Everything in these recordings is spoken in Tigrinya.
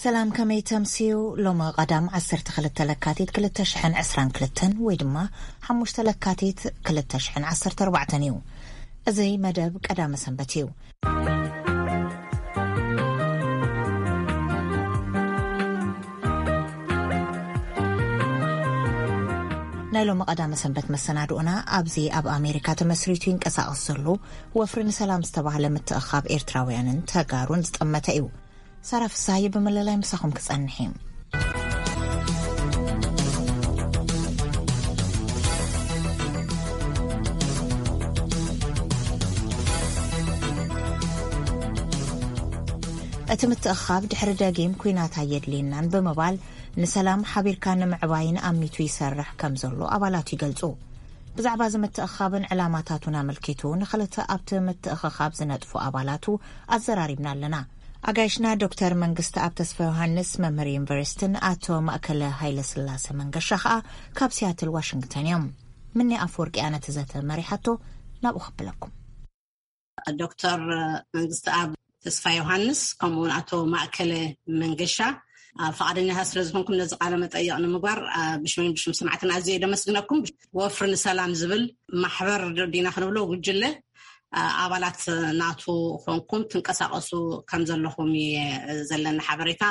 ሰላም፣ ከመይ ተምስዩ? ሎሚ ቀዳም ዓሰርተ ክልተ ለካቲት ክልተ ሽሕን ዕስራን ክልተን ወይ ድማ ሓሙሽተ ለካቲት ክልተ ሽሕን ዓሰርተ ኣርባዕተን እዩ። እዚ መደብ ቀዳመ ሰንበት እዩ። ናይ ሎሚ ቀዳመ ሰንበት መሰናድኦና ኣብዚ ኣብ ኣሜሪካ ተመስሪቱ ይንቀሳቐስ ዘሎ ወፍሪ ንሰላም ዝተባህለ ምትእኻብ ኤርትራውያንን ተጋሩን ዝጠመተ እዩ። ሳራ ፍሳሃየ ብምልላይ ምሳኹም ክጸንሕ እየ። እቲ ምትእኻብ ድሕሪ ደጊም ኲናት ኣየድልየናን ብምባል ንሰላም ሓቢርካ ንምዕባይን ኣሚቱ ይሰርሕ ከም ዘሎ ኣባላቱ ይገልጹ። ብዛዕባ እዚ ምትእኻብን ዕላማታቱን ኣመልኪቱ ንኽልተ ኣብቲ ምትእኽኻብ ዝነጥፉ ኣባላቱ ኣዘራሪብና ኣለና። ኣጋይሽና ዶክተር መንግስቲ ኣብ ተስፋ ዮሃንስ መምህር ዩኒቨርሲቲን ኣቶ ማእከለ ሃይለ ስላሴ መንገሻ ኸኣ ካብ ሲያትል ዋሽንግተን እዮም። ምኒ ኣፈወርቂ ኣነ እቲ ዘተ መሪሓቶ ናብኡ ክብለኩም። ዶክተር መንግስቲ ኣብ ተስፋ ዮሃንስ ከምኡውን ኣቶ ማእከለ መንገሻ ኣብ ፈቓደኛታት ስለ ዝኾንኩም ነዚ ቃለ መጠይቕ ንምግባር ብሽምን ብሽም ሰማዕትና ኣዝየ ደመስግነኩም። ወፍሪ ንሰላም ዝብል ማሕበር ዲና ክንብሎ ጉጅለ ኣባላት ናቱ ኮንኩም ትንቀሳቐሱ ከም ዘለኹም እየ ዘለኒ ሓበሬታ።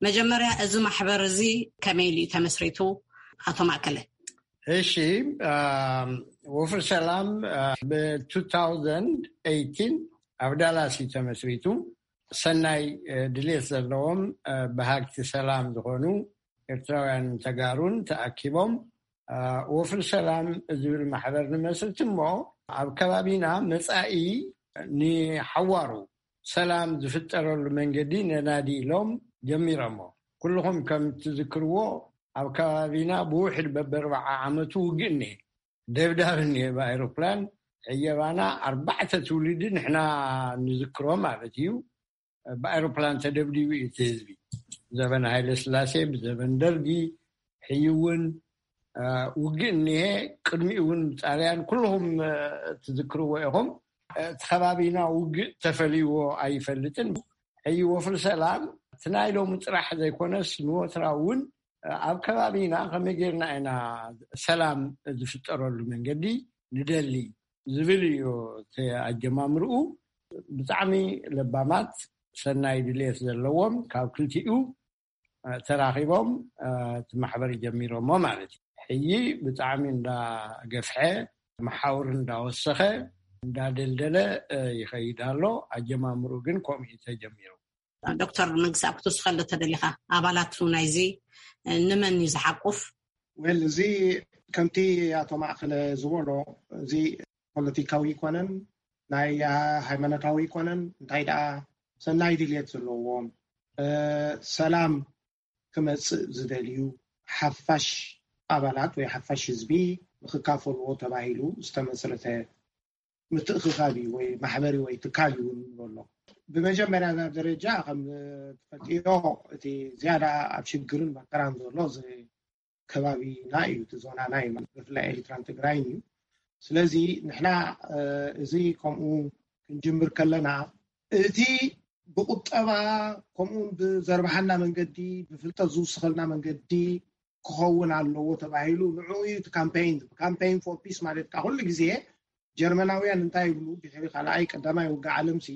መጀመርያ እዚ ማሕበር እዚ ከመይ ኢሉ እዩ ተመስሪቱ? ኣቶ ማእከለ። እሺ፣ ወፍሪ ሰላም ብ ኣብ ዳላስ እዩ ተመስሪቱ። ሰናይ ድሌት ዘለዎም በሃግቲ ሰላም ዝኾኑ ኤርትራውያን ተጋሩን ተኣኪቦም ወፍሪ ሰላም ዝብል ማሕበር ንመስርት እሞ ኣብ ከባቢና መጻኢ ንሓዋሩ ሰላም ዝፍጠረሉ መንገዲ ነናዲ ኢሎም ጀሚሮሞ። ኩልኹም ከም ትዝክርዎ ኣብ ከባቢና ብውሕድ በበርባዓ ዓመቱ ውግእ እኒሀ፣ ደብዳብ እኒሀ ብኣይሮፕላን። ዕየባና ኣርባዕተ ትውልዲ ንሕና ንዝክሮ ማለት እዩ። ብኣይሮፕላን ተደብዲቡ እዩ እቲ ህዝቢ። ዘበን ሃይለ ስላሴ፣ ብዘበን ደርጊ፣ ሕዩ እውን ውግእ እኒሀ። ቅድሚኡ እውን ጣልያን፣ ኩልኹም ትዝክርዎ ኢኹም። እቲ ከባቢና ውግእ ተፈልይዎ ኣይፈልጥን። ሕዩ ወፍሪ ሰላም እቲ ናይ ሎሚ ጥራሕ ዘይኮነስ ንወትራ እውን ኣብ ከባቢና ከመይ ጌርና ኢና ሰላም ዝፍጠረሉ መንገዲ ንደሊ ዝብል እዩ እቲ ኣጀማምርኡ። ብጣዕሚ ለባማት ሰናይ ድሌት ዘለዎም ካብ ክልቲኡ ተራኺቦም እቲ ማሕበር ጀሚሮሞ ማለት እዩ። ሕይ ብጣዕሚ እንዳገፍሐ መሓውር እንዳወሰኸ እንዳደልደለ ይኸይድ ኣሎ። ኣጀማምርኡ ግን ከምኡ እዩ ተጀሚሩ። ዶክተር መንግስቲ ኣብ ክትውስኸሉ ተደሊኻ ኣባላቱ ናይዚ ንመን እዩ ዝሓቁፍ? ወል እዚ ከምቲ ኣቶ ማእከለ ዝበሎ እዚ ፖለቲካዊ ይኮነን ናይ ሃይማኖታዊ ይኮነን እንታይ ደኣ ሰናይ ድልየት ዘለዎም ሰላም ክመጽእ ዝደልዩ ሓፋሽ ኣባላት ወይ ሓፋሽ ህዝቢ ንክካፈልዎ ተባሂሉ ዝተመስረተ ምትእኽኻብ እዩ ወይ ማሕበሪ ወይ ትካል እዩ ንብሎ። ብመጀመርያ ናብ ደረጃ ከም ትፈልጥዮ እቲ ዝያዳ ኣብ ሽግርን መከራን ዘሎ እዚ ከባቢና እዩ፣ እቲ ዞናና እዩ፣ ብፍላይ ኤሪትራን ትግራይን እዩ። ስለዚ ንሕና እዚ ከምኡ ክንጅምር ከለና እቲ ብቁጠባ ከምኡውን ብዘርባሓና መንገዲ ብፍልጠት ዝውስኸልና መንገዲ ክኸውን ኣለዎ ተባሂሉ ንዕኡ እዩ እቲ ካምፔይን። ካምፔይን ፎር ፒስ ማለት ከዓ ኩሉ ግዜ ጀርመናውያን እንታይ ይብሉ ድሕሪ ካልኣይ ቀዳማይ ውግእ ዓለምሲ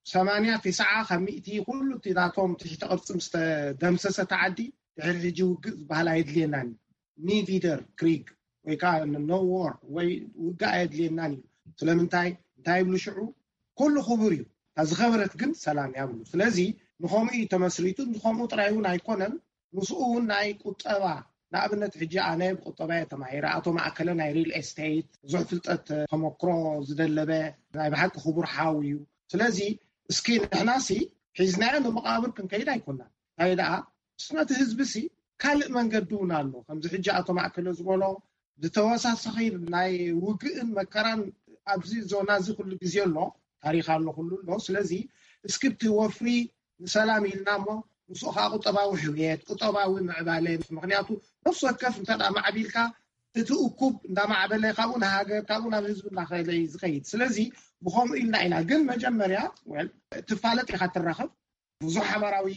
ሰማንያ ትስዓ ካብ ሚእቲ ኩሉ እቲ ናቶም ትሕቲ ቅርፂ ምስ ተደምሰሰ እቲ ዓዲ ድሕሪ ሕጂ ውግእ ዝበሃል ኣየድልየናን እዩ። ኒቪደር ክሪግ ወይ ከዓ ኖ ዎር ወይ ውግእ ኣየድልየናን እዩ። ስለምንታይ እንታይ ይብሉ ሽዑ ኩሉ ክቡር እዩ፣ እታ ዝኸበረት ግን ሰላም እያ ብሉ። ስለዚ ንኸምኡ እዩ ተመስሪቱ። ንኸምኡ ጥራይ እውን ኣይኮነን፣ ምስኡ እውን ናይ ቁጠባ ንኣብነት ሕጂ ኣነ ብቁጠባ እየ ተማሂረ፣ ኣቶ ማእከለ ናይ ሪል ኤስቴት ብዙሕ ፍልጠት ተመክሮ ዝደለበ ናይ ብሓቂ ክቡር ሓው እዩ። ስለዚ እስኪ ንሕናሲ ሒዝናዮ ንመቃብር ክንከይድ ኣይኮናን። እንታይ ደኣ ምስ ነቲ ህዝቢ ሲ ካልእ መንገዲ እውን ኣሎ። ከምዚ ሕጂ ኣቶ ማእከለ ዝበሎ ዝተወሳሰኺ ናይ ውግእን መከራን ኣብዚ ዞና እዚ ኩሉ ግዜ ኣሎ፣ ታሪኽ ኣሎ፣ ኩሉ ኣሎ። ስለዚ እስኪ እቲ ወፍሪ ንሰላም ኢልና እሞ ምስኡ ከዓ ቁጠባዊ ሕውየት፣ ቁጠባዊ ምዕባለ፣ ምክንያቱ ነፍሲ ወከፍ እንተ ደኣ ማዕቢልካ እቲ እኩብ እንዳማዕበለ ካብኡ ንሃገር ካብኡ ናብ ህዝቢ እንዳኸለ እዩ ዝኸይድ። ስለዚ ብኸምኡ ኢልና ኢና ግን መጀመርያ ወል ትፋለጥ ኢኻ ትራኸብ ብዙሕ ሓባራዊ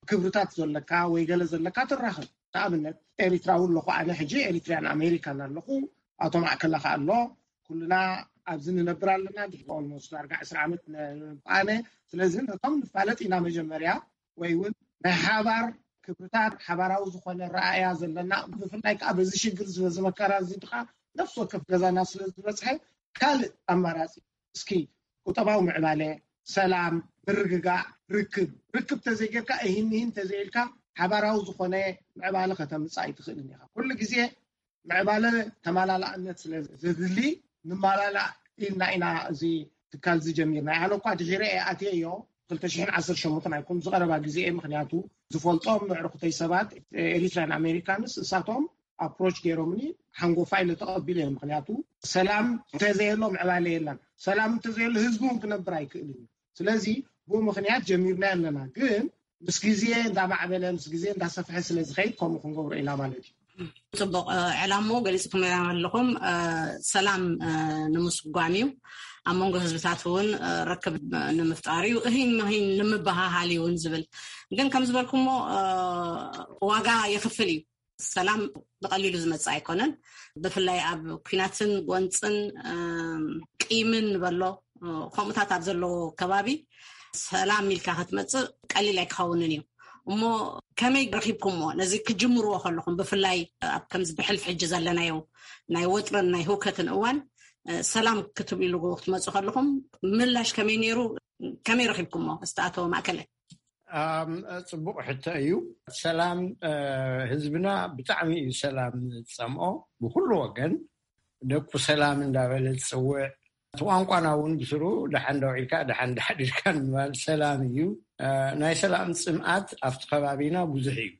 ክብርታት ዘለካ ወይ ገለ ዘለካ ትራኸብ። ንኣብነት ኤሪትራ እውን ኣለኹ፣ ኣነ ሕጂ ኤሪትሪያን ኣሜሪካን ኣለኹ፣ ኣቶ ማእከላ ከኣ ኣሎ። ኩልና ኣብዚ ንነብር ኣለና። ድሕሪ ኦልሞስት ኣርባዓ ዓመት ኣነ። ስለዚ ነቶም ንፋለጥ ኢና መጀመርያ፣ ወይ እውን ናይ ሓባር ክብርታት፣ ሓባራዊ ዝኾነ ረኣያ ዘለና፣ ብፍላይ ከዓ በዚ ሽግር ዝበዚ መከራ እዚ ከዓ ነፍሲ ወከፍ ገዛና ስለ ዝበፅሐ ካልእ ኣማራፂ እስኪ ቁጠባዊ ምዕባለ፣ ሰላም፣ ምርግጋእ፣ ርክብ፣ ርክብ ተዘይጌርካ እሂን ምሂን ተዘይልካ ሓባራዊ ዝኾነ ምዕባለ ከተምፅእ ኣይትኽእልን ኢኻ። ኩሉ ግዜ ምዕባለ ተማላላእነት ስለ ዘድሊ ንማላላእ ኢልና ኢና እዚ ትካል እዚ ጀሚርና። ኣነ እኳ ድሒረ እየ ኣትየዮ፣ ክልተ ሽሕን ዓሰርተ ሸሞንተን ኣይኮን ዝቐረባ ግዜ እየ። ምክንያቱ ዝፈልጦም ምዕርኩተይ ሰባት ኤሪትራን ኣሜሪካንስ እሳቶም ኣፕሮች ገይሮምኒ ሓንጎፋ ኢለ ተቐቢለ እየ። ምክንያቱ ሰላም እንተዘየሎ ምዕባለ የለን። ሰላም እንተዘየሎ ህዝቢ እውን ክነብር ኣይክእልን እዩ። ስለዚ ብኡ ምክንያት ጀሚርና ኣለና። ግን ምስ ግዜ እንዳማዕበለ ምስ ግዜ እንዳሰፍሐ ስለ ዝኸይድ ከምኡ ክንገብሮ ኢና ማለት እዩ። ፅቡቅ ዕላሞ ገሊፅኩም ኣለኹም። ሰላም ንምስጓም እዩ። ኣብ መንጎ ህዝብታት እውን ርክብ ንምፍጣር እዩ። እሂን ምሂን ንምበሃሃል እውን ዝብል ግን ከም ዝበልኩሞ ዋጋ የኽፍል እዩ። ሰላም ብቐሊሉ ዝመፅእ ኣይኮነን። ብፍላይ ኣብ ኲናትን ጎንፅን ቂምን ንበሎ ከምኡታት ኣብ ዘለዎ ከባቢ ሰላም ኢልካ ክትመፅእ ቀሊል ኣይክኸውንን እዩ። እሞ ከመይ ረኺብኩምዎ ነዚ ክጅምርዎ ከለኹም? ብፍላይ ኣብ ከምዚ ብሕልፊ ሕጂ ዘለናዮ ናይ ወጥርን ናይ ህውከትን እዋን ሰላም ክትብሉ ክትመፁ ከለኹም ምላሽ ከመይ ነይሩ? ከመይ ረኺብኩምዎ? እስቲ ኣቶ ማእከለ። ጽቡቕ ሕቶ እዩ። ሰላም ህዝብና ብጣዕሚ እዩ ሰላም ዝጸምኦ። ብኩሉ ወገን ደቁ ሰላም እንዳበለ ዝጽውዕ፣ እቲ ቋንቋና እውን ብስሩ ደሓን ደውዒልካ ደሓን ዳሕዲርካ ንምባል ሰላም እዩ። ናይ ሰላም ጽምኣት ኣብቲ ከባቢና ብዙሕ እዩ።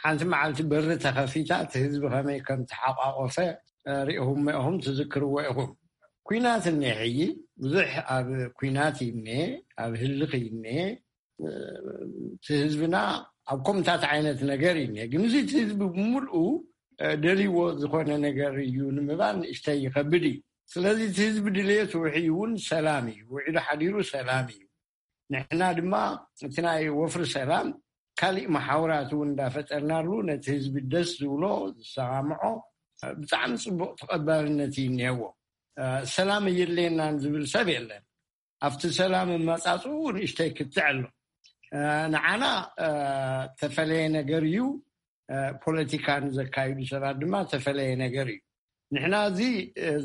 ሓንቲ መዓልቲ በሪ ተኸፊታ እቲ ህዝቢ ከመይ ከም ተሓቋቆፈ ሪእኹም ኢኹም ትዝክርዎ ኢኹም። ኲናት እኒአ ሕጂ ብዙሕ ኣብ ኲናት እዩ እኒአ፣ ኣብ ህልኽ እዩ እኒአ። እቲ ህዝብና ኣብ ከምታት ዓይነት ነገር እዩ እኒአ። ግን እዚ እቲ ህዝቢ ብምልኡ ደልይዎ ዝኾነ ነገር እዩ ንምባል ንእሽተይ ይኸብድ እዩ። ስለዚ እቲ ህዝቢ ድልየቱ ውዒ እውን ሰላም እዩ፣ ውዒሉ ሓዲሩ ሰላም እዩ። ንሕና ድማ እቲ ናይ ወፍሪ ሰላም ካሊእ መሓውራት እውን እንዳፈጠርናሉ ነቲ ህዝቢ ደስ ዝብሎ ዝሰማምዖ ብጣዕሚ ፅቡቅ ተቐባልነት እዩ እኒሀዎ። ሰላም እየድልየናን ዝብል ሰብ የለን። ኣብቲ ሰላም መጻጽኡ ንእሽተይ ክትዕ ኣሎ። ንዓና ተፈለየ ነገር እዩ። ፖለቲካ ንዘካይዱ ሰባት ድማ ተፈለየ ነገር እዩ። ንሕና እዚ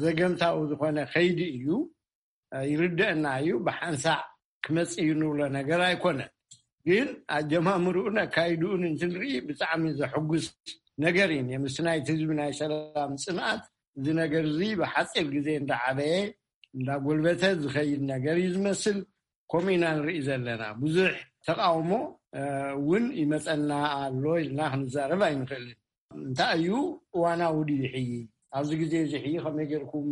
ዘገምታዊ ዝኾነ ከይዲ እዩ። ይርደአና እዩ። ብሓንሳዕ ክመጽእ እዩ ንብሎ ነገር ኣይኮነን። ግን ኣጀማምርኡን ኣካይድኡን እንትንርኢ ብጣዕሚ ዘሐጉስ ነገር እዩ። ምስቲ ናይቲ ህዝቢ ናይ ሰላም ጽንኣት እዚ ነገር እዚ ብሓጺር ግዜ እንዳዓበየ እንዳጎልበተ ዝኸይድ ነገር እዩ ዝመስል። ከምኡ ኢና ንርኢ ዘለና። ብዙሕ ተቃውሞ እውን ይመጸና ኣሎ ኢልና ክንዛረብ ኣይንኽእልን። እንታይ እዩ እዋናዊ ድዩ ሕይ ኣብዚ ግዜ እዚ ሕይ ከመይ ጌርኩም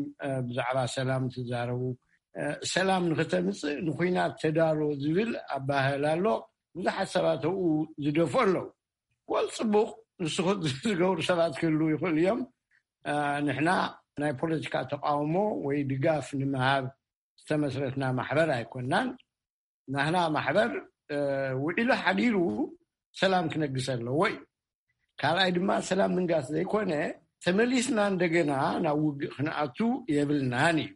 ብዛዕባ ሰላም ትዛረቡ? ሰላም ንክተምፅእ ንኩናት ተዳሎ ዝብል ኣባህል ኣሎ። ብዙሓት ሰባት ኣብኡ ዝደፍኦ ኣለዉ። ወል ፅቡቅ ንስኹ ዝገብሩ ሰባት ክህልዉ ይኽእሉ እዮም። ንሕና ናይ ፖለቲካ ተቃውሞ ወይ ድጋፍ ንምሃብ ዝተመስረትና ማሕበር ኣይኮናን። ናህና ማሕበር ውዒሉ ሓዲሩ ሰላም ክነግስ ኣለዎ እዩ። ካልኣይ ድማ ሰላም ምንጋስ ዘይኮነ ተመሊስና እንደገና ናብ ውግእ ክንኣቱ የብልናን እዩ።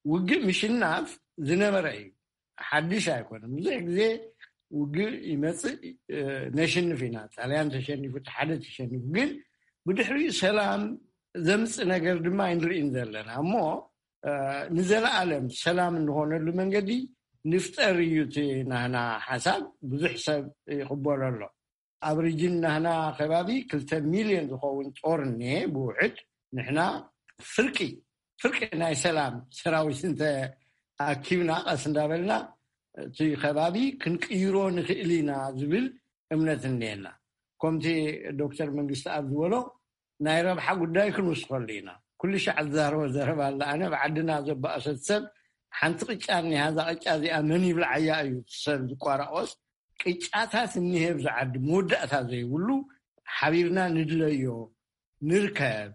ውግእ ምሽናፍ ዝነበረ እዩ፣ ሓድሽ ኣይኮነን። ብዙሕ ግዜ ውግእ ይመፅእ፣ ነሽንፍ ኢና። ጣልያን ተሸኒፉ፣ ሓደ ተሸኒፉ፣ ግን ብድሕሪኡ ሰላም ዘምፅእ ነገር ድማ ኣይንርእን ዘለና እሞ ንዘለኣለም ሰላም እንኾነሉ መንገዲ ንፍጠር እዩ እቲ ናህና ሓሳብ። ብዙሕ ሰብ ይቕበሎ ኣሎ። ኣብ ሪጅን ናህና ከባቢ ክልተ ሚልዮን ዝኸውን ጦር እኒሀ ብውሕድ። ንሕና ፍርቂ ፍርቂ ናይ ሰላም ሰራዊት እንተ ኣኪብና ቀስ እንዳበልና እቲ ከባቢ ክንቅይሮ ንኽእል ኢና ዝብል እምነት እኒአና። ከምቲ ዶክተር መንግስቲ ኣብ ዝበሎ ናይ ረብሓ ጉዳይ ክንውስኸሉ ኢና። ኩሉ ሻዕ ዝዛረቦ ዘረባ ኣለ። ኣነ ኣብ ዓድና ዘባእሰት ሰብ ሓንቲ ቅጫ እኒሃ፣ እዛ ቅጫ እዚኣ መን ይብልዓያ እዩ ሰብ ዝቋራቆስ። ቅጫታት እኒሄ ኣብዚ ዓዲ መወዳእታ ዘይብሉ። ሓቢርና ንድለዮ ንርከብ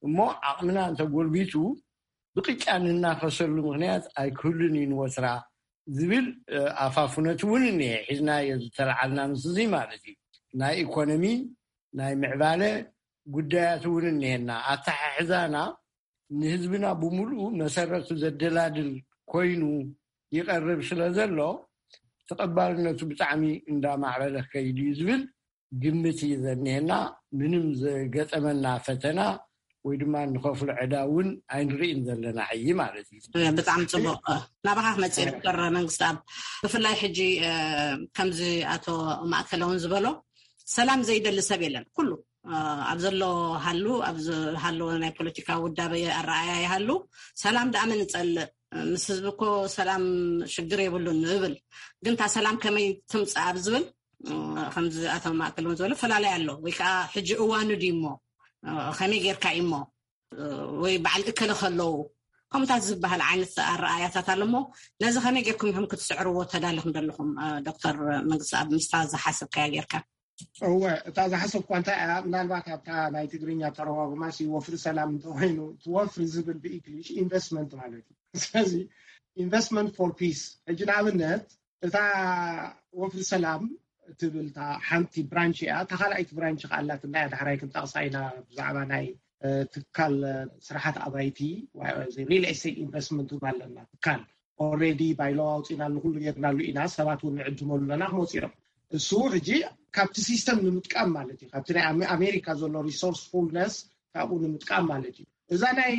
እሞ ዓቕምና እንተጎልቢቱ ብቅጫ ንናኸሰሉ ምኽንያት ኣይክህሉን እዩ ንወትራ ዝብል ኣፋፍነት እውን እኒሄ። ሒዝናዮ ዝተለዓልና ምስ እዚ ማለት እዩ። ናይ ኢኮኖሚ፣ ናይ ምዕባለ ጉዳያት እውን እኒሄና። ኣተሓሕዛና ንህዝብና ብምሉኡ መሰረቱ ዘደላድል ኮይኑ ይቐርብ ስለ ዘሎ፣ ተቐባልነቱ ብጣዕሚ እንዳማዕበለ ክኸይድ እዩ ዝብል ግምት እዩ ዘኒሄና። ምንም ዘገጠመና ፈተና ወይ ድማ ንኸፍሎ ዕዳ እውን ኣይንርእን ዘለና ሕጂ ማለት እዩ። ብጣዕሚ ጽቡቕ። ናባኻ ክመጽእ ዶክተር መንግስቲ ኣብ ብፍላይ ሕጂ ከምዚ ኣቶ ማእከለ እውን ዝበሎ፣ ሰላም ዘይደሊ ሰብ የለን። ኩሉ ኣብ ዘሎ ሃሉ፣ ኣብ ሃለወ ናይ ፖለቲካ ውዳበ ኣረኣያ ይሃሉ፣ ሰላም ደኣ መን ይጸልእ? ምስ ህዝቢ እኮ ሰላም ሽግር የብሉን ንብል፣ ግን እታ ሰላም ከመይ ትምጻእ ኣብ ዝብል ከምዚ ኣቶ ማእከል እውን ዝበሎ፣ ፈላለይ ኣሎ። ወይ ከዓ ሕጂ እዋኑ ድዩ እሞ፣ ከመይ ጌርካ እዩ እሞ፣ ወይ በዓል እከለ ከለዉ ከምታት ዝበሃል ዓይነት ኣረኣያታት ኣሎ እሞ፣ ነዚ ከመይ ጌርኩም ኢኹም ክትስዕርዎ ተዳሊኹም ዘለኹም? ዶክተር መንግስቲ ኣብ ምስታ ዝሓሰብካያ ጌርካ። እወ፣ እታ ዝሓሰብኳ እንታይ እያ፣ ምናልባት ኣብታ ናይ ትግርኛ ተረጓጉማሲ ወፍሪ ሰላም እንተኮይኑ፣ ወፍሪ ዝብል ብእንግሊሽ ኢንቨስትመንት ማለት እዩ። ስለዚ ኢንቨስትመንት ፎር ፒስ፣ ሕጂ ንኣብነት እታ ወፍሪ ሰላም እትብል እታ ሓንቲ ብራንች እያ። እታ ካልኣይቲ ብራንች ከኣላት እና ዳሕራይ ክንጠቕሳ ኢና፣ ብዛዕባ ናይ ትካል ስራሓት ኣባይቲ፣ ሪል ኤስቴት ኢንቨስትመንት ኣለና። ትካል ኦልሬዲ ባይሎ ኣውፂናሉ፣ ኩሉ ጌርናሉ ኢና። ሰባት እውን ንዕድመሉ ኣለና ክመፁ እዮም። እሱ ሕጂ ካብቲ ሲስተም ንምጥቃም ማለት እዩ። ካብቲ ናይ ኣሜሪካ ዘሎ ሪሶርስ ፉልነስ ካብኡ ንምጥቃም ማለት እዩ። እዛ ናይ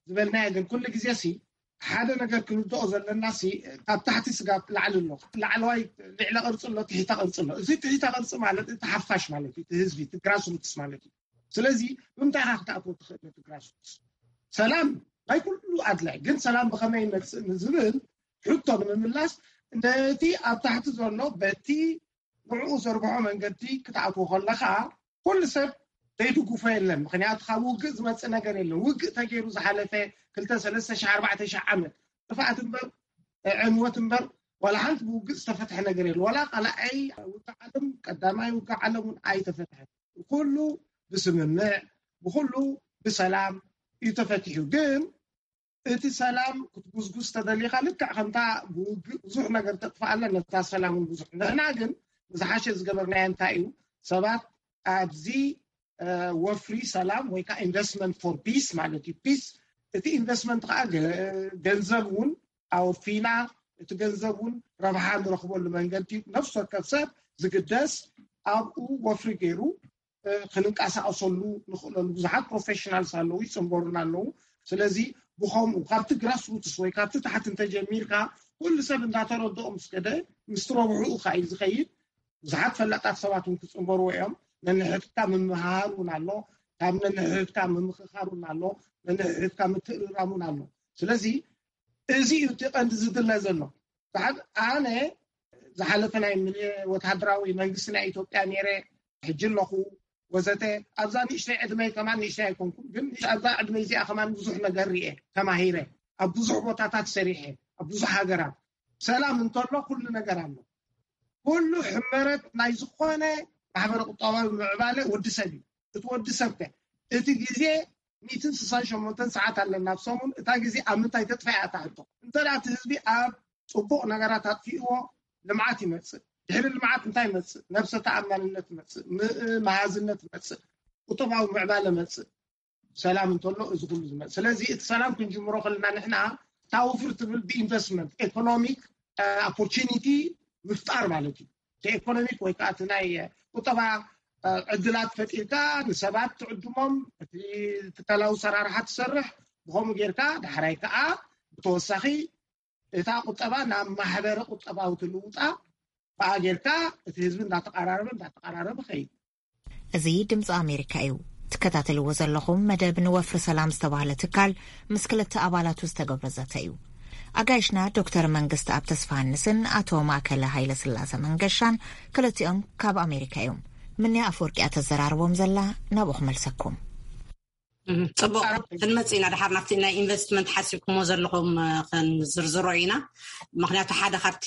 ዝበልናዮ ግን ኩሉ ግዜ ሲ ሓደ ነገር ክንርድኦ ዘለና ሲ ካብ ታሕቲ ስጋብ ላዕሊ ኣሎ። ላዕለዋይ ልዕለ ቅርፂ ኣሎ፣ ትሕተ ቅርፂ ኣሎ። እዚ ትሕተ ቅርፂ ማለት እቲ ሓፋሽ ማለት እዩ፣ እቲ ህዝቢ፣ እቲ ግራስሩትስ ማለት እዩ። ስለዚ ብምንታይ ኢኻ ክትኣትዎ ትኽእል ነቲ ግራስሩትስ? ሰላም ናይ ኩሉ ኣድላይ፣ ግን ሰላም ብኸመይ ይመፅእ ንዝብል ሕቶ ንምምላስ ነቲ ኣብ ታሕቲ ዘሎ በቲ ንዕኡ ዘርግሖ መንገዲ ክትኣትዎ ከለኻ ኩሉ ሰብ ዘይድግፎ የለን። ምክንያቱ ካብ ውግእ ዝመፅእ ነገር የለን። ውግእ ተገይሩ ዝሓለፈ ክልተ፣ ሰለስተ ሺሕ፣ ኣርባዕተ ሺሕ ዓመት ጥፍኣት እምበር ዕንወት እምበር ዋላ ሓንቲ ብውግእ ዝተፈትሐ ነገር የለ። ዋላ ካልኣይ ውግእ ዓለም፣ ቀዳማይ ውግእ ዓለም እውን ኣይተፈትሐን። ኩሉ ብስምምዕ፣ ብኩሉ ብሰላም እዩ ተፈቲሑ። ግን እቲ ሰላም ክትጉዝጉዝ ተደሊኻ ልክዕ ከምታ ብውግእ ብዙሕ ነገር ተጥፍኣለን ነታ ሰላም እውን ብዙሕ። ንሕና ግን ዝሓሸ ዝገበርናዮ እንታይ እዩ? ሰባት ኣብዚ ወፍሪ ሰላም ወይ ከዓ ኢንቨስትመንት ፎር ፒስ ማለት እዩ። ፒስ እቲ ኢንቨስትመንት ከዓ ገንዘብ እውን ኣወፊና እቲ ገንዘብ እውን ረብሓ ንረኽበሉ መንገዲ ነፍሲ ወከፍ ሰብ ዝግደስ ኣብኡ ወፍሪ ገይሩ ክንንቀሳቀሰሉ ንኽእለሉ ብዙሓት ፕሮፌሽናልስ ኣለዉ፣ ይፅንበሩና ኣለዉ። ስለዚ ብኸምኡ ካብቲ ግራስሩትስ ወይ ካብቲ ታሕቲ እንተጀሚርካ ኩሉ ሰብ እንዳተረድኦ ምስ ከደ ምስቲ ረብሕኡ ከዓ እዩ ዝኸይድ። ብዙሓት ፈላጣት ሰባት እውን ክፅንበርዎ እዮም። ነንሕድካ ምምሃር እውን ኣሎ፣ ካብ ነንሕድካ ምምኽኻር እውን ኣሎ፣ ነንሕድካ ምትእርራም እውን ኣሎ። ስለዚ እዚ እዩ እቲ ቀንዲ ዝድለ ዘሎ። ኣነ ዝሓለፈ ናይ ወታደራዊ መንግስቲ ናይ ኢትዮጵያ ነይረ፣ ሕጂ ኣለኹ ወዘተ። ኣብዛ ንእሽተይ ዕድመይ ከማን ንእሽተይ ኣይኮንኩም፣ ግን ኣብዛ ዕድመይ እዚኣ ከማን ብዙሕ ነገር ርኤ፣ ተማሂረ፣ ኣብ ብዙሕ ቦታታት ሰሪሐ፣ ኣብ ብዙሕ ሃገራት። ሰላም እንተሎ ኩሉ ነገር ኣሎ። ኩሉ ሕመረት ናይ ዝኾነ ማሕበረ ቁጠባዊ ምዕባለ ወዲ ሰብ እዩ። እቲ ወዲ ሰብ ከ እቲ ግዜ ሚእትን ስሳን ሸሞንተን ሰዓት ኣለና ኣብ ሰሙን። እታ ግዜ ኣብ ምንታይ ተጥፋ እያ እታ ሕቶ? እንተ እቲ ህዝቢ ኣብ ፅቡቕ ነገራት ኣጥፊእዎ ልምዓት ይመፅእ። ድሕሪ ልምዓት እንታይ ይመፅእ? ነብሰ ተኣማንነት ይመፅእ፣ መሃዝነት ይመፅእ፣ ቁጠባዊ ምዕባለ ይመፅእ። ሰላም እንተሎ እዚ ኩሉ ዝመፅእ። ስለዚ እቲ ሰላም ክንጅምሮ ከለና ንሕና ታውፍር ትብል ብኢንቨስትመንት ኤኮኖሚክ ኦፖርቹኒቲ ምፍጣር ማለት እዩ። እቲ ኤኮኖሚክ ወይ ከዓ እቲ ናይ ቁጠባ ዕድላት ፈጢርካ ንሰባት ትዕድሞም፣ እቲ ትካላዊ ሰራርሓ ትሰርሕ፣ ብኸምኡ ጌርካ ዳሕራይ ከዓ ብተወሳኺ እታ ቁጠባ ናብ ማሕበረ ቁጠባዊ ትልውጣ ብኣ ጌርካ እቲ ህዝቢ እንዳተቐራረበ እንዳተቐራረበ ኸይድ። እዚ ድምፂ ኣሜሪካ እዩ። ትከታተልዎ ዘለኹም መደብ ንወፍሪ ሰላም ዝተባህለ ትካል ምስ ክልተ ኣባላቱ ዝተገብረ ዘተ እዩ። ኣጋይሽና ዶክተር መንግስቲ ኣብ ተስፋሃንስን ኣቶ ማእከለ ሃይለ ስላሰ መንገሻን ክልቲኦም ካብ ኣሜሪካ እዮም። ምንያ ኣፈወርቂ እያ ተዘራርቦም ዘላ፣ ናብኡ ክመልሰኩም። ጽቡቅ፣ ክንመጽእ ኢና ድሓር ናብቲ ናይ ኢንቨስትመንት ሓሲብኩሞ ዘለኹም ክንዝርዝሮ ኢና። ምክንያቱ ሓደ ካብቲ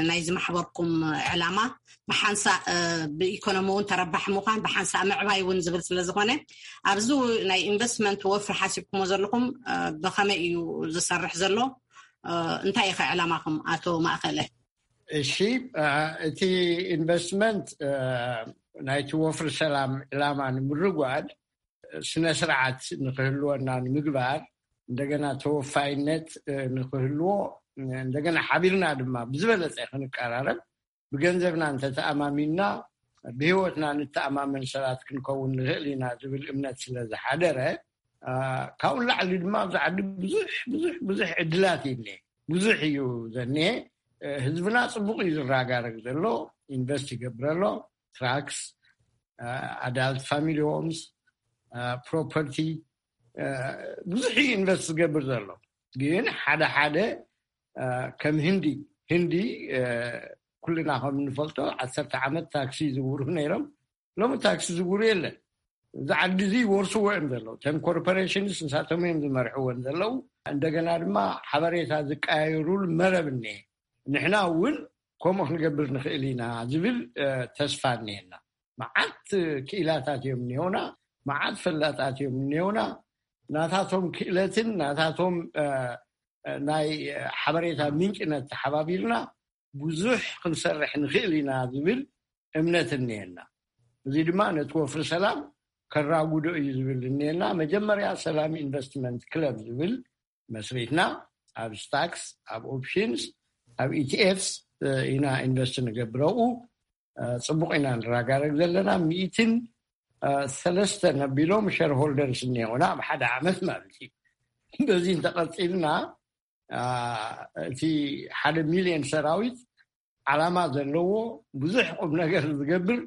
ናይዚ ማሕበርኩም ዕላማ ብሓንሳእ ብኢኮኖሚ እውን ተረባሒ ምዃን ብሓንሳእ ምዕባይ እውን ዝብል ስለ ዝኾነ፣ ኣብዚ ናይ ኢንቨስትመንት ወፍሪ ሓሲብኩሞ ዘለኹም ብኸመይ እዩ ዝሰርሕ ዘሎ? እንታይ ኢኸ ዕላማኹም ኣቶ ማእከለ? እሺ፣ እቲ ኢንቨስትመንት ናይቲ ወፍሪ ሰላም ዕላማ ንምርጓድ፣ ስነ ስርዓት ንክህልወና ንምግባር፣ እንደገና ተወፋይነት ንክህልዎ፣ እንደገና ሓቢርና ድማ ብዝበለፀ ክንቀራረብ፣ ብገንዘብና እንተተኣማሚንና ብህይወትና ንተኣማመን ሰባት ክንከውን ንኽእል ኢና ዝብል እምነት ስለ ዝሓደረ፣ ካብኡ ላዕሊ ድማ ኣብዚ ዓዲ ብዙሕ ብዙሕ ብዙሕ ዕድላት እዩ እኒሀ። ብዙሕ እዩ ዘኒሀ። ህዝብና ፅቡቅ እዩ ዝረጋረግ ዘሎ። ኢንቨስት ይገብር ኣሎ። ትራክስ፣ ኣዳልት ፋሚሊ ሆምስ፣ ፕሮፐርቲ፣ ብዙሕ እዩ ኢንቨስት ዝገብር ዘሎ። ግን ሓደ ሓደ ከም ህንዲ፣ ህንዲ ኩልና ከም እንፈልጦ ዓሰርተ ዓመት ታክሲ ዝውሩ ነይሮም። ሎሚ ታክሲ ዝውሩ የለን። እዚ ዓዲ እዚ ይወርስዎ እዮም ዘለዉ። እተን ኮርፖሬሽንስ ንሳቶም እዮም ዝመርሕወን ዘለዉ። እንደገና ድማ ሓበሬታ ዝቀያየሩሉ መረብ እኒሀ። ንሕና እውን ከምኡ ክንገብር ንኽእል ኢና ዝብል ተስፋ እኒሀና። መዓት ክኢላታት እዮም እኒሆና፣ መዓት ፈላጣት እዮም እኒሆና። ናታቶም ክእለትን ናታቶም ናይ ሓበሬታ ምንጭነት ተሓባቢርና ብዙሕ ክንሰርሕ ንኽእል ኢና ዝብል እምነት እኒሀና። እዚ ድማ ነቲ ወፍሪ ሰላም ከራጉዶ እዩ ዝብል እኒሀና። መጀመርያ ሰላም ኢንቨስትመንት ክለብ ዝብል መስሪትና፣ ኣብ ስታክስ፣ ኣብ ኦፕሽንስ፣ ኣብ ኢቲኤፍስ ኢና ኢንቨስት ንገብረኡ። ፅቡቅ ኢና ንረጋረግ ዘለና። ሚእትን ሰለስተ ነቢሎም ሸርሆልደርስ እኒሆና ኣብ ሓደ ዓመት ማለት እዩ። በዚ እንተቐፂልና እቲ ሓደ ሚልዮን ሰራዊት ዓላማ ዘለዎ ብዙሕ ቁም ነገር ዝገብር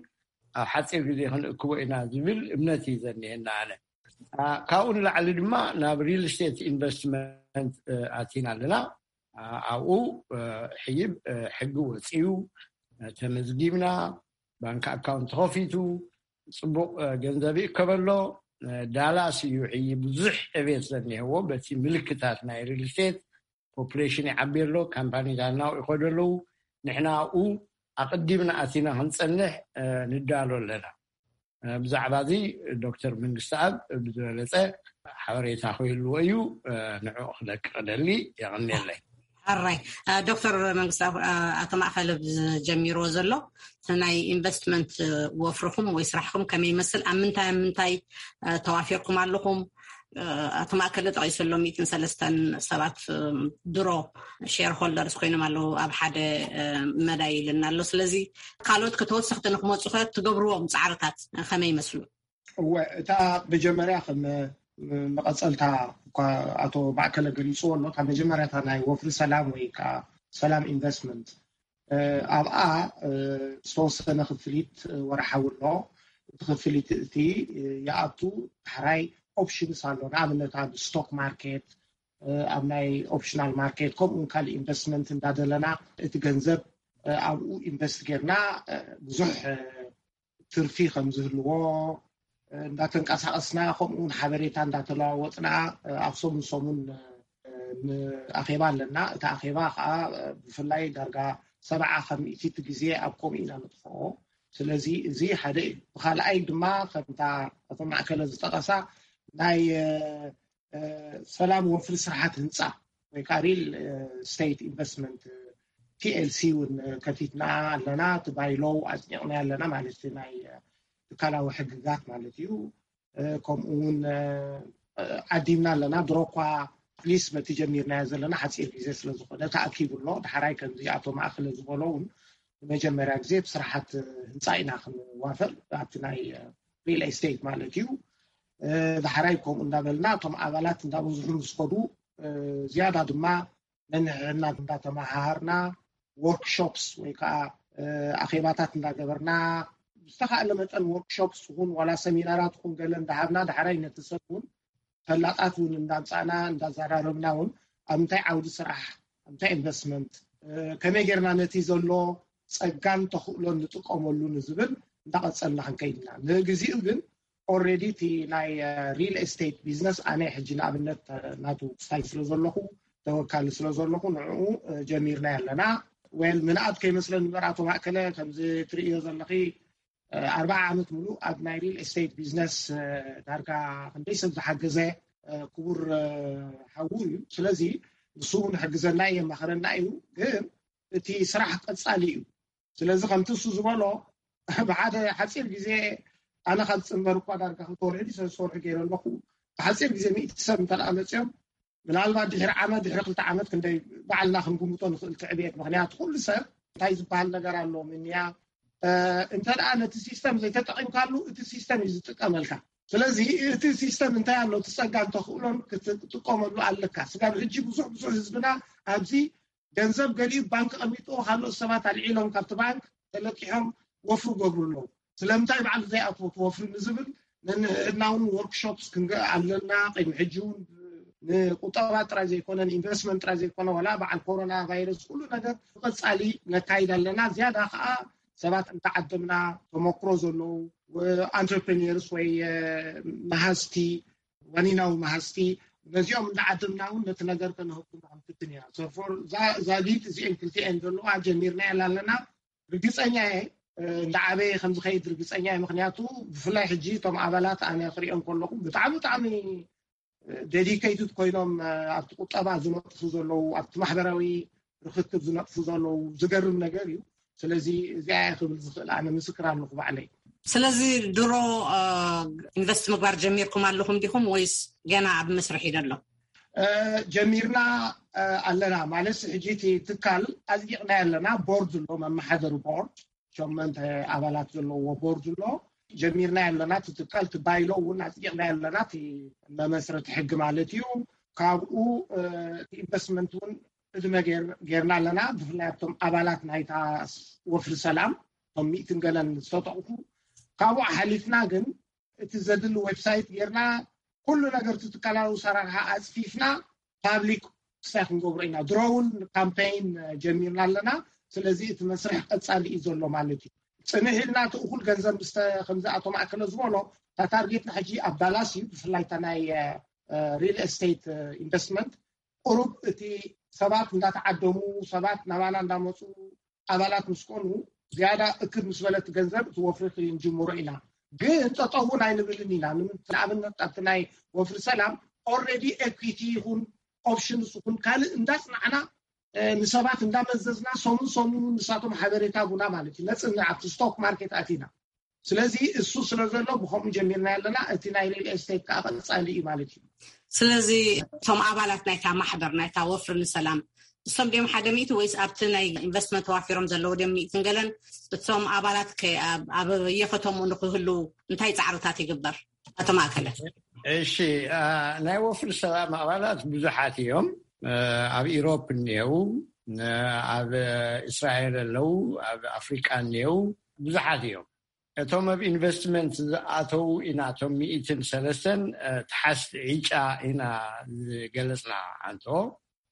ኣብ ሓፂር ግዜ ክንእክቦ ኢና ዝብል እምነት እዩ ዘኒሀና። ኣነ ካብኡ ንላዕሊ ድማ ናብ ሪል ስቴት ኢንቨስትመንት ኣቲና ኣለና። ኣብኡ ሕይብ ሕጊ ወፅዩ፣ ተመዝጊብና፣ ባንክ ኣካውንት ተኸፊቱ፣ ፅቡቅ ገንዘብ ይእከበሎ። ዳላስ እዩ ሕይብ ብዙሕ ዕቤት ዘኒሀዎ በቲ ምልክታት ናይ ሪል ስቴት። ፖፕሌሽን ይዓቢ ኣሎ፣ ካምፓኒታት ናብኡ ይኸዱ ኣለዉ። ንሕና ኣብኡ ኣቐዲምና ኣቲና ክንፀንሕ ንዳሎ ኣለና። ብዛዕባ እዚ ዶክተር መንግስትኣብ ብዝበለፀ ሓበሬታ ክህልዎ እዩ። ንዕኡ ክለቅቕ ደሊ። የቐንየለይ። ኣራይ ዶክተር መንግስትኣብ፣ ኣቶ ማእከለ ዝጀሚርዎ ዘሎ ናይ ኢንቨስትመንት ወፍርኹም ወይ ስራሕኩም ከመይ ይመስል? ኣብ ምንታይ ኣብ ምንታይ ተዋፊርኩም ኣለኹም? ኣቶ ማእከለ ጠቒሱ ኣሎ፣ ሚእትን ሰለስተን ሰባት ድሮ ሼር ሆልደርስ ኮይኖም ኣለዉ ኣብ ሓደ መዳይ ኢልና ኣሎ። ስለዚ ካልኦት ከተወሰኽቲ ንክመፁ ከ ትገብርዎም ፃዕርታት ከመይ ይመስሉ? እወ፣ እታ መጀመርያ ከም መቐፀልታ እኳ ኣቶ ማእከለ ገሊፅዎ ኣሎ፣ እታ መጀመርያታ ናይ ወፍሪ ሰላም ወይ ከዓ ሰላም ኢንቨስትመንት ኣብኣ ዝተወሰነ ክፍሊት ወርሓዊ ኣሎ። እቲ ክፍሊት እቲ ይኣቱ። ዳሕራይ ኦፕሽንስ ኣሎ። ንኣብነት ኣብ ስቶክ ማርኬት፣ ኣብ ናይ ኦፕሽናል ማርኬት፣ ከምኡ ካልእ ኢንቨስትመንት እንዳደለና እቲ ገንዘብ ኣብኡ ኢንቨስት ጌርና ብዙሕ ትርፊ ከም ዝህልዎ እንዳተንቀሳቐስና፣ ከምኡ እውን ሓበሬታ እንዳተለዋወጥና ኣብ ሰሙን ሰሙን ኣኼባ ኣለና። እቲ ኣኼባ ከዓ ብፍላይ ዳርጋ ሰብዓ ካብ ሚእቲ እቲ ግዜ ኣብ ከምኡ ኢና ንጥፍኦ። ስለዚ እዚ ሓደ እዩ። ብካልኣይ ድማ ከምታ ኣቶ ማእከለ ዝጠቐሳ ናይ ሰላም ወፍሪ ስራሓት ህንፃ ወይ ከዓ ሪል ስቴት ኢንቨስትመንት ቲኤልሲ እውን ከፊትና ኣለና። እቲ ባይሎው ኣፅኒቕና ኣለና ማለት ናይ ትካላዊ ሕግጋት ማለት እዩ። ከምኡ እውን ዓዲምና ኣለና። ድሮ እኳ ሊስ በቲ ጀሚርናዮ ዘለና ሓፂር ግዜ ስለዝኾነ ተኣኪቡ ኣሎ። ዳሕራይ ከምዚ ኣቶ ማእከለ ዝበሎ እውን ንመጀመርያ ግዜ ብስራሓት ህንፃ ኢና ክንዋፈር ኣብቲ ናይ ሪል ኤስቴት ማለት እዩ። ዳሕራይ ከምኡ እንዳበልና እቶም ኣባላት እንዳበዝሑ ምስ ከዱ ዝያዳ ድማ ነንሕድሕድና እንዳተመሃሃርና፣ ወርክሾፕስ ወይ ከዓ ኣኼባታት እንዳገበርና፣ ዝተኻእለ መጠን ወርክሾፕስ ይኹን ዋላ ሰሚናራት ይኹን ገለ እንዳሃብና፣ ዳሕራይ ነቲ ሰብ እውን ፈላጣት እውን እንዳምፃእና እንዳዘራረብና እውን ኣብ እንታይ ዓውዲ ስራሕ፣ ኣብ እንታይ ኢንቨስትመንት፣ ከመይ ጌርና ነቲ ዘሎ ፀጋን ተኽእሎን ንጥቀመሉ ንዝብል እንዳቐፀልና ክንከይድ ኢና። ንግዚኡ ግን ኦልሬዲ እቲ ናይ ሪል ኤስቴት ቢዝነስ ኣነ ሕጂ ንኣብነት ናቱ ስታይ ስለ ዘለኹ፣ ተወካሊ ስለ ዘለኹ ንዕኡ ጀሚርና ኣለና። ዌል ምንኣድ ከይመስለኒ እምበር ኣቶ ማእከለ ከምዚ ትርእዮ ዘለኺ ኣርባዓ ዓመት ሙሉእ ኣብ ናይ ሪል ኤስቴት ቢዝነስ ዳርጋ ክንደይ ሰብ ዝሓገዘ ክቡር ሓዉ እዩ። ስለዚ ንሱ እውን ይሕግዘና እዩ፣ የማኽረና እዩ። ግን እቲ ስራሕ ቀፃሊ እዩ። ስለዚ ከምቲ እሱ ዝበሎ ብሓደ ሓፂር ግዜ፣ ኣነ ካብ ፅንበር እኳ ዳርጋ ክልተ ወርሒ ሰለስተ ወርሒ ገይረ ኣለኹ። ብሓፂር ግዜ ሚእቲ ሰብ እንተ ደኣ መፅኦም፣ ምናልባት ድሕሪ ዓመት ድሕሪ ክልተ ዓመት ክንደይ ባዕልና ክንግምቶ ንኽእል ትዕብየት። ምክንያቱ ኩሉ ሰብ እንታይ ዝበሃል ነገር ኣሎ ምንያ እንተ ደኣ ነቲ ሲስተም ዘይተጠቒምካሉ እቲ ሲስተም እዩ ዝጥቀመልካ። ስለዚ እቲ ሲስተም እንታይ ኣሎ እቲ ጸጋ እንተኽእሎን ክትጥቀመሉ ኣለካ። ስጋብ ሕጂ ብዙሕ ብዙሕ ህዝብና ኣብዚ ገንዘብ ገሊኡ ባንክ ቀሚጡ፣ ካልኦት ሰባት ኣልዒሎም ካብቲ ባንክ ተለቂሖም ወፍሪ ገብሩ ኣለዉ። ስለምንታይ ባዕሉ ዘይኣትዎ ወፍሪ ንዝብል ነንሕድና እውን ወርክሾፕስ ክንገ ኣለና። ቅድሚ ሕጂ እውን ንቁጠባ ጥራይ ዘይኮነ ንኢንቨስትመንት ጥራይ ዘይኮነ ዋላ በዓል ኮሮና ቫይረስ ኩሉ ነገር ብቐጻሊ ነካይድ ኣለና። ዝያዳ ከዓ ሰባት እንተዓደምና ተመክሮ ዘለዉ ኣንትርፕሪኒርስ ወይ መሃዝቲ ዋኒናዊ መሃዝቲ ነዚኦም እንዳዓደምና እውን ነቲ ነገር ከነህኩም ክንፍትን ኢና። ሶፎር ዛጊት እዚአን ክልቲአን ዘለዋ ጀሚርና ያላ ኣለና። ርግፀኛ እየ እንዳዓበየ ከምዝኸይድ ርግፀኛ እየ። ምክንያቱ ብፍላይ ሕጂ እቶም ኣባላት ኣነ ክሪኦም ከለኹ ብጣዕሚ ብጣዕሚ ዴዲኬትድ ኮይኖም ኣብቲ ቁጠባ ዝነጥፉ ዘለዉ ኣብቲ ማሕበራዊ ርክክብ ዝነጥፉ ዘለዉ ዝገርም ነገር እዩ። ስለዚ እዚኣ እየ ክብል ዝኽእል ኣነ ምስክር ኣለኹ ባዕለይ። ስለዚ ድሮ ኢንቨስት ምግባር ጀሚርኩም ኣለኹም ዲኹም ወይስ ገና ኣብ መስርሕ እዩ ዘሎ? ጀሚርና ኣለና ማለት ሕጂ እቲ ትካል ኣፅዲቕና ኣለና። ቦርድ ኣሎ፣ መመሓደሪ ቦርድ ሸመንተ ኣባላት ዘለዎ ቦርድ ኣሎ። ጀሚርና ኣለና እቲ ትካል ትባይሎ እውን ኣፅዲቕና ኣለና እቲ መመስረቲ ሕጊ ማለት እዩ። ካብኡ ኢንቨስትመንት እውን ዕድመ ጌርና ኣለና። ብፍላይ ኣብቶም ኣባላት ናይታ ወፍሪ ሰላም እቶም ሚእትን ገለን ዝተጠቕፉ ካብኡ ሓሊፍና ግን እቲ ዘድሊ ዌብሳይት ጌርና ኩሉ ነገር እቲ ትካላዊ ሰራርሓ ኣፅፊፍና ፓብሊክ ክሳይ ክንገብሮ ኢና። ድሮውን ካምፔይን ጀሚርና ኣለና። ስለዚ እቲ መስርሕ ቀፃሊ እዩ ዘሎ ማለት እዩ። ፅንሕ ኢልና እቲ እኩል ገንዘብ ምስ ከምዚ ኣቶ ማእከለ ዝበሎ እታ ታርጌትና ሕጂ ኣብ ዳላስ እዩ። ብፍላይ እታ ናይ ሪል ኤስቴት ኢንቨስትመንት ቁሩብ እቲ ሰባት እንዳተዓደሙ ሰባት ናባና እንዳመፁ ኣባላት ምስ ኮኑ ዝያዳ እክብ ምስ በለት ገንዘብ እቲ ወፍሪ ክንጅምሮ ኢና። ግን ጠጠው እውን ኣይንብልን ኢና። ንኣብነት ኣብቲ ናይ ወፍሪ ሰላም ኦልሬዲ ኤኩዊቲ ይኹን ኦፕሽንስ ይኹን ካልእ እንዳፅናዕና ንሰባት እንዳመዘዝና ሰሙን ሰሙን ንሳቶም ሓበሬታ ቡና ማለት እዩ ነፅንዕ ኣብቲ ስቶክ ማርኬት ኣቲና። ስለዚ እሱ ስለ ዘሎ ብከምኡ ጀሚርና ኣለና። እቲ ናይ ሪል ኤስቴት ከዓ ቀፃሊ እዩ ማለት እዩ። ስለዚ እቶም ኣባላት ናይታ ማሕበር ናይታ ወፍሪ ንሰላም እሶም ድዮም ሓደ ሚእቲ ወይስ ኣብቲ ናይ ኢንቨስትመንት ተዋፊሮም ዘለዉ ድዮም ሚእትን ገለን? እቶም ኣባላት ከ ኣብ የከተሙ ንክህሉ እንታይ ፃዕርታት ይግበር? ኣቶ ማእከለ። እሺ፣ ናይ ወፍሪ ሰላም ኣባላት ብዙሓት እዮም። ኣብ ኢሮፕ እኒአው፣ ኣብ እስራኤል ኣለዉ፣ ኣብ ኣፍሪቃ እኒአው፣ ብዙሓት እዮም። እቶም ኣብ ኢንቨስትመንት ዝኣተዉ ኢና እቶም ሚእትን ሰለስተን ተሓስቲ ዕጫ ኢና ዝገለፅና። ኣንቶ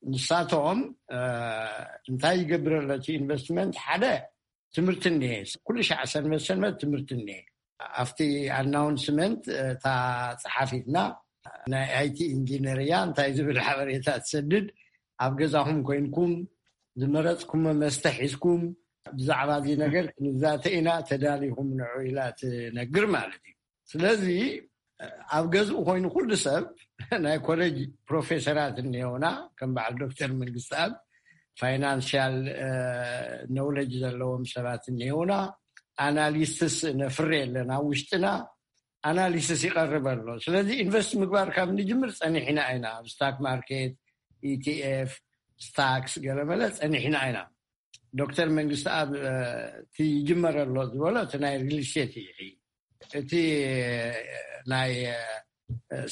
ንሳቶም እንታይ ይገብር ኣሎ እቲ ኢንቨስትመንት? ሓደ ትምህርቲ እኒሄ፣ ኩሉ ሻዕ ሰንበት ሰንበት ትምህርቲ እኒሄ። ኣብቲ ኣናውንስመንት እታ ፀሓፊትና ናይ ኣይቲ ኢንጂነር እያ እንታይ ዝብል ሓበሬታ ትሰድድ። ኣብ ገዛኹም ኮይንኩም ዝመረፅኩም መስተ ሒዝኩም ብዛዕባ እዚ ነገር ክንዛተ ኢና፣ ተዳሊኹም ንዑ ኢላ ትነግር ማለት እዩ። ስለዚ ኣብ ገዝኡ ኮይኑ ኩሉ ሰብ ናይ ኮሌጅ ፕሮፌሰራት እኒሆና ከም በዓል ዶክተር መንግስትኣብ ፋይናንሽያል ኖውለጅ ዘለዎም ሰባት እኒሆና ኣናሊስትስ ነፍሬ ኣለና ውሽጥና ኣናሊሲስ ይቐርብ ኣሎ። ስለዚ ኢንቨስት ምግባር ካብ ንጅምር ፀኒሕና ኢና። ኣብ ስታክ ማርኬት፣ ኢቲኤፍ፣ ስታክስ ገለመለ ፀኒሕና ኢና። ዶክተር መንግስቲ ኣብ እቲ ይጅመር ኣሎ ዝበሎ እቲ ናይ ሪል ስቴት እዩ። እቲ ናይ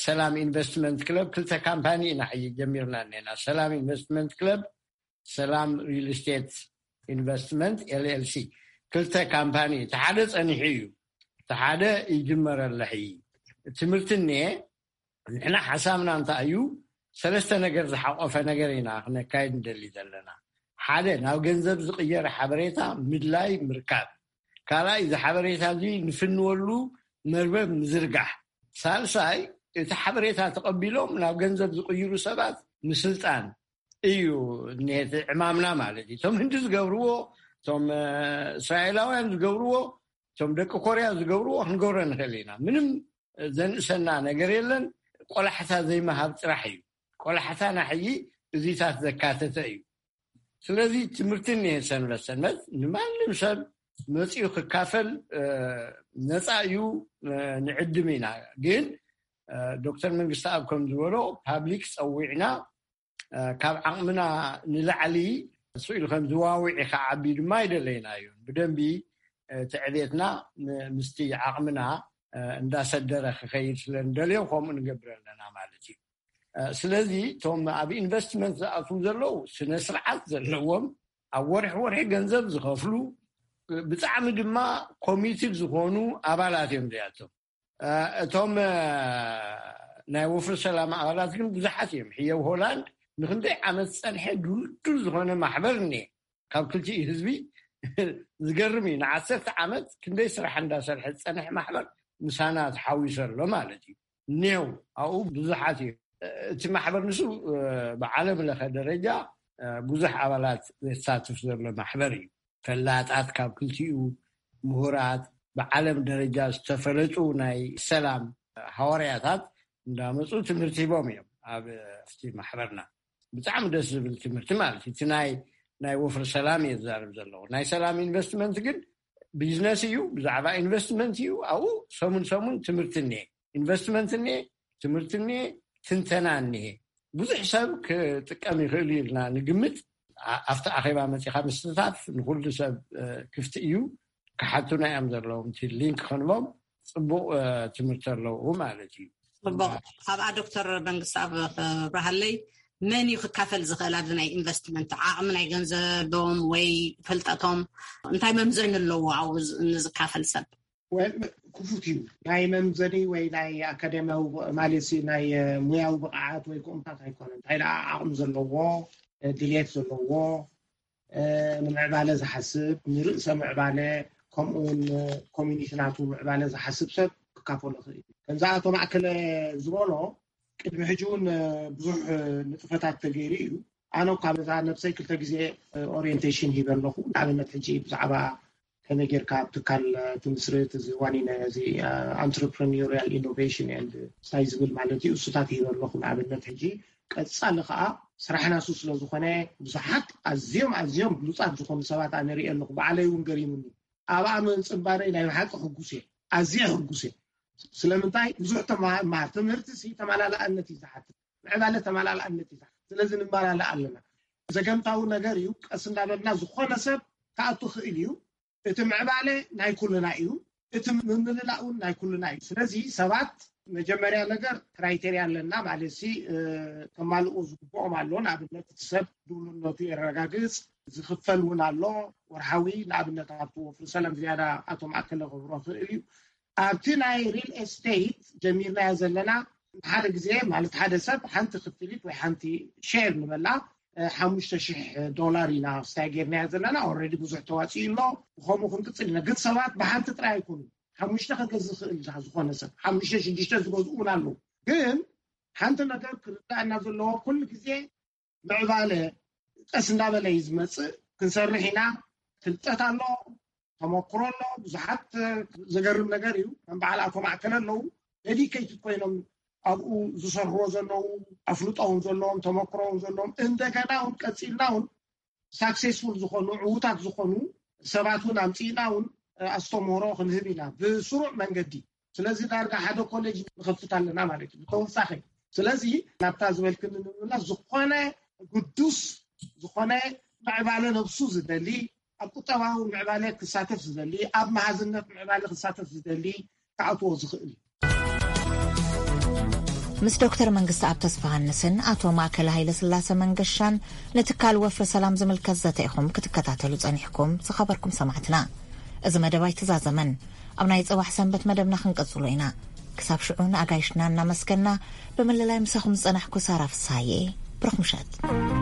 ሰላም ኢንቨስትመንት ክለብ ክልተ ካምፓኒ ኢና ሕጂ ጀሚርና እኒና። ሰላም ኢንቨስትመንት ክለብ፣ ሰላም ሪል ስቴት ኢንቨስትመንት ኤልኤልሲ ክልተ ካምፓኒ። እቲ ሓደ ፀኒሑ እዩ፣ እቲ ሓደ ይጅመር ኣሎ። ሕጂ ትምህርቲ እኒኤ። ንሕና ሓሳብና እንታይ እዩ? ሰለስተ ነገር ዝሓቆፈ ነገር ኢና ክነካይድ ንደሊ ዘለና። ሓደ፣ ናብ ገንዘብ ዝቕየር ሓበሬታ ምድላይ ምርካብ። ካልኣይ፣ እዚ ሓበሬታ እዚ ንፍንወሉ መርበብ ምዝርጋሕ። ሳልሳይ፣ እቲ ሓበሬታ ተቐቢሎም ናብ ገንዘብ ዝቕይሩ ሰባት ምስልጣን እዩ። እኒሄ እቲ ዕማምና ማለት እዩ። እቶም ህንዲ ዝገብርዎ፣ እቶም እስራኤላውያን ዝገብርዎ፣ እቶም ደቂ ኮርያ ዝገብርዎ ክንገብሮ ንኽእል ኢና። ምንም ዘንእሰና ነገር የለን። ቆላሕታ ዘይምሃብ ጥራሕ እዩ። ቆላሕታና ሕጂ እዚታት ዘካተተ እዩ። ስለዚ ትምህርቲ እኒሄ ሰንበት ሰንበት ንማንም ሰብ መፂኡ ክካፈል ነፃ እዩ። ንዕድም ኢና። ግን ዶክተር መንግስቲ ኣብ ከም ዝበሎ ፓብሊክ ፀዊዕና ካብ ዓቕምና ንላዕሊ ስኢሉ ከም ዝዋውዒ ከዓቢ ድማ ኣይደለይና እዩ። ብደንቢ እቲ ዕቤትና ምስቲ ዓቕምና እንዳሰደረ ክኸይድ ስለ ንደልዮ ከምኡ ንገብር ኣለና ማለት እዩ። ስለዚ እቶም ኣብ ኢንቨስትመንት ዝኣትዉ ዘለዉ ስነ ስርዓት ዘለዎም፣ ኣብ ወርሒ ወርሒ ገንዘብ ዝኸፍሉ፣ ብጣዕሚ ድማ ኮሚትድ ዝኾኑ ኣባላት እዮም እዚኣቶም። እቶም ናይ ወፍሪ ሰላም ኣባላት ግን ብዙሓት እዮም። ሕየው ሆላንድ ንክንደይ ዓመት ዝፀንሐ ድልዱል ዝኾነ ማሕበር እኒኤ። ካብ ክልቲኡ ህዝቢ ዝገርም እዩ። ንዓሰርተ ዓመት ክንደይ ስራሕ እንዳሰርሐ ዝፀንሐ ማሕበር ምሳና ተሓዊሱ ኣሎ ማለት እዩ። እኒሄው ኣብኡ ብዙሓት እዩ። እቲ ማሕበር ንሱ ብዓለም ለኸ ደረጃ ብዙሕ ኣባላት ዘሳትፍ ዘሎ ማሕበር እዩ። ፈላጣት ካብ ክልቲኡ፣ ምሁራት፣ ብዓለም ደረጃ ዝተፈለጡ ናይ ሰላም ሃዋርያታት እንዳመፁ ትምህርቲ ሂቦም እዮም ኣብ ኣብቲ ማሕበርና። ብጣዕሚ ደስ ዝብል ትምህርቲ ማለት እዩ። እቲ ናይ ናይ ወፍሪ ሰላም እየ ዝዛረብ ዘለኹ። ናይ ሰላም ኢንቨስትመንት ግን ቢዝነስ እዩ፣ ብዛዕባ ኢንቨስትመንት እዩ። ኣብኡ ሰሙን ሰሙን ትምህርቲ እኒሄ። ኢንቨስትመንት እኒሄ፣ ትምህርቲ እኒሄ፣ ትንተና እኒሄ። ብዙሕ ሰብ ክጥቀም ይኽእል እዩ ኢልና ንግምት። ኣብቲ ኣኼባ መፂኻ ምስታፍ ንኩሉ ሰብ ክፍቲ እዩ። ክሓቱና እዮም ዘለዎም። እቲ ሊንክ ክንቦም ፅቡቕ ትምህርቲ ኣለዉ ማለት እዩ። ፅቡቕ። ኣብኣ ዶክተር መንግስቲ ኣብ ክብረሃለይ መን እዩ ክካፈል ዝኽእል ኣብዚ ናይ ኢንቨስትመንት? ዓቕሚ ናይ ገንዘቦም ወይ ፍልጠቶም እንታይ መምዘኒ ኣለዎ ኣብኡ ንዝካፈል ሰብ? ክፉት እዩ። ናይ መምዘኒ ወይ ናይ ኣካደሚያዊ ማለት ናይ ሙያዊ ብቕዓት ወይ ክኡንታት ኣይኮነን። እንታይ ደኣ ዓቕሚ ዘለዎ፣ ድልየት ዘለዎ፣ ንምዕባለ ዝሓስብ፣ ንርእሰ ምዕባለ፣ ከምኡውን ኮሚኒቲ ናቱ ምዕባለ ዝሓስብ ሰብ ክካፈሎ ክእል። ከምዚ ኣቶ ማእከለ ዝበሎ ቅድሚ ሕጂ እውን ብዙሕ ንጥፈታት ተገይሩ እዩ። ኣነ እኳ በዛ ነብሰይ ክልተ ግዜ ኦሪየንቴሽን ሂበ ኣለኹ። ንኣብነት ሕጂ ብዛዕባ ከመይ ጌርካ ኣብ ትካል ትምስርት፣ እዚ ዋኒነ እዚ entrepreneurial innovation and እንታይ ዝብል ማለት እዩ፣ እሱታት ሂበ ኣለኹ ንኣብነት ሕጂ። ቀጻሊ ከዓ ስራሕና እሱ ስለ ዝኾነ ብዙሓት ኣዝዮም ኣዝዮም ብሉጻት ዝኾኑ ሰባት ኣነ ርእየ ኣለኹ። ባዕለይ እውን ገሪሙኒ። ኣብኣ ምንጽንባረይ ናይ ብሓቂ ሕጉስ እየ፣ ኣዝየ ሕጉስ እየ። ስለምንታይ ብዙሕ ተማሃር ትምህርቲ ሲ ተመላላኣነት እዩ ዝሓትት፣ ምዕባለ ተመላላኣነት እዩ ዝሓትት። ስለዚ ንመላላእ ኣለና። ዘገምታዊ ነገር እዩ። ቀስ እንዳበልና ዝኾነ ሰብ ክኣቱ ክእል እዩ። እቲ ምዕባለ ናይ ኩልና እዩ፣ እቲ ምምልላእ እውን ናይ ኩልና እዩ። ስለዚ ሰባት መጀመርያ ነገር ክራይቴርያ ኣለና ማለት ሲ ከማልኡ ዝግብኦም ኣሎ። ንኣብነት እቲ ሰብ ድውልነቱ የረጋግፅ፣ ዝኽፈል እውን ኣሎ ወርሓዊ። ንኣብነት ኣብቲ ወፍሪ ሰላም ዝያዳ ኣቶ ማእከለ ክብሮ ክእል እዩ። ኣብቲ ናይ ሪል ኤስቴት ጀሚርናዮ ዘለና ሓደ ግዜ ማለት ሓደ ሰብ ሓንቲ ክፍሊት ወይ ሓንቲ ሼር ንበላ ሓሙሽተ ሽሕ ዶላር ኢና ስታይ ጌርናዮ ዘለና። ኦረዲ ብዙሕ ተዋፂኡ ኣሎ፣ ብከምኡ ክንቅፅል ኢና። ግን ሰባት ብሓንቲ ጥራይ ኣይኮኑ፣ ሓሙሽተ ከገዝ ዝኽእል ዝኾነ ሰብ ሓሙሽተ ሽዱሽተ ዝገዝኡ እውን ኣለዉ። ግን ሓንቲ ነገር ክርዳእና ዘለዎ ኩሉ ግዜ ምዕባለ ቀስ እንዳበለ እዩ ዝመፅእ። ክንሰርሕ ኢና። ፍልጠት ኣሎ፣ ተመክሮ ኣሎ። ብዙሓት ዘገርም ነገር እዩ። ከም በዓል ኣቶ ማእከለ ኣለዉ፣ ደዲኬትድ ኮይኖም ኣብኡ ዝሰርሕዎ ዘለዉ፣ ኣፍልጦ እውን ዘለዎም፣ ተመክሮ እውን ዘለዎም፣ እንደገና እውን ቀፂልና እውን ሳክሴስፉል ዝኾኑ፣ ዕዉታት ዝኾኑ ሰባት እውን ኣምፂእና እውን ኣስተምህሮ ክንህብ ኢና ብስሩዕ መንገዲ። ስለዚ ዳርጋ ሓደ ኮሌጅ ንኸፍት ኣለና ማለት እዩ ብተወሳኺ። ስለዚ ናብታ ዝበልክኒ ንምምላስ፣ ዝኾነ ግዱስ ዝኾነ ምዕባለ ነብሱ ዝደሊ፣ ኣብ ቁጠባዊ ምዕባለ ክሳተፍ ዝደሊ፣ ኣብ መሃዝነት ምዕባለ ክሳተፍ ዝደሊ ክኣትዎ ዝኽእል እዩ። ምስ ዶክተር መንግስቲ ኣብ ተስፋሃንስን ኣቶ ማእከለ ሃይለ ስላሰ መንገሻን ንትካል ወፍሪ ሰላም ዝምልከት ዘተ ኢኹም ክትከታተሉ ጸኒሕኩም ዝኸበርኩም ሰማዕትና። እዚ መደብ ኣይተዛዘመን። ኣብ ናይ ጽባሕ ሰንበት መደብና ክንቀጽሎ ኢና። ክሳብ ሽዑ ንኣጋይሽና እናመስገና፣ ብምልላይ ምሳኹም ዝጸናሕኩ ሳራ ፍሳዬ። ብሩኽ ምሸት።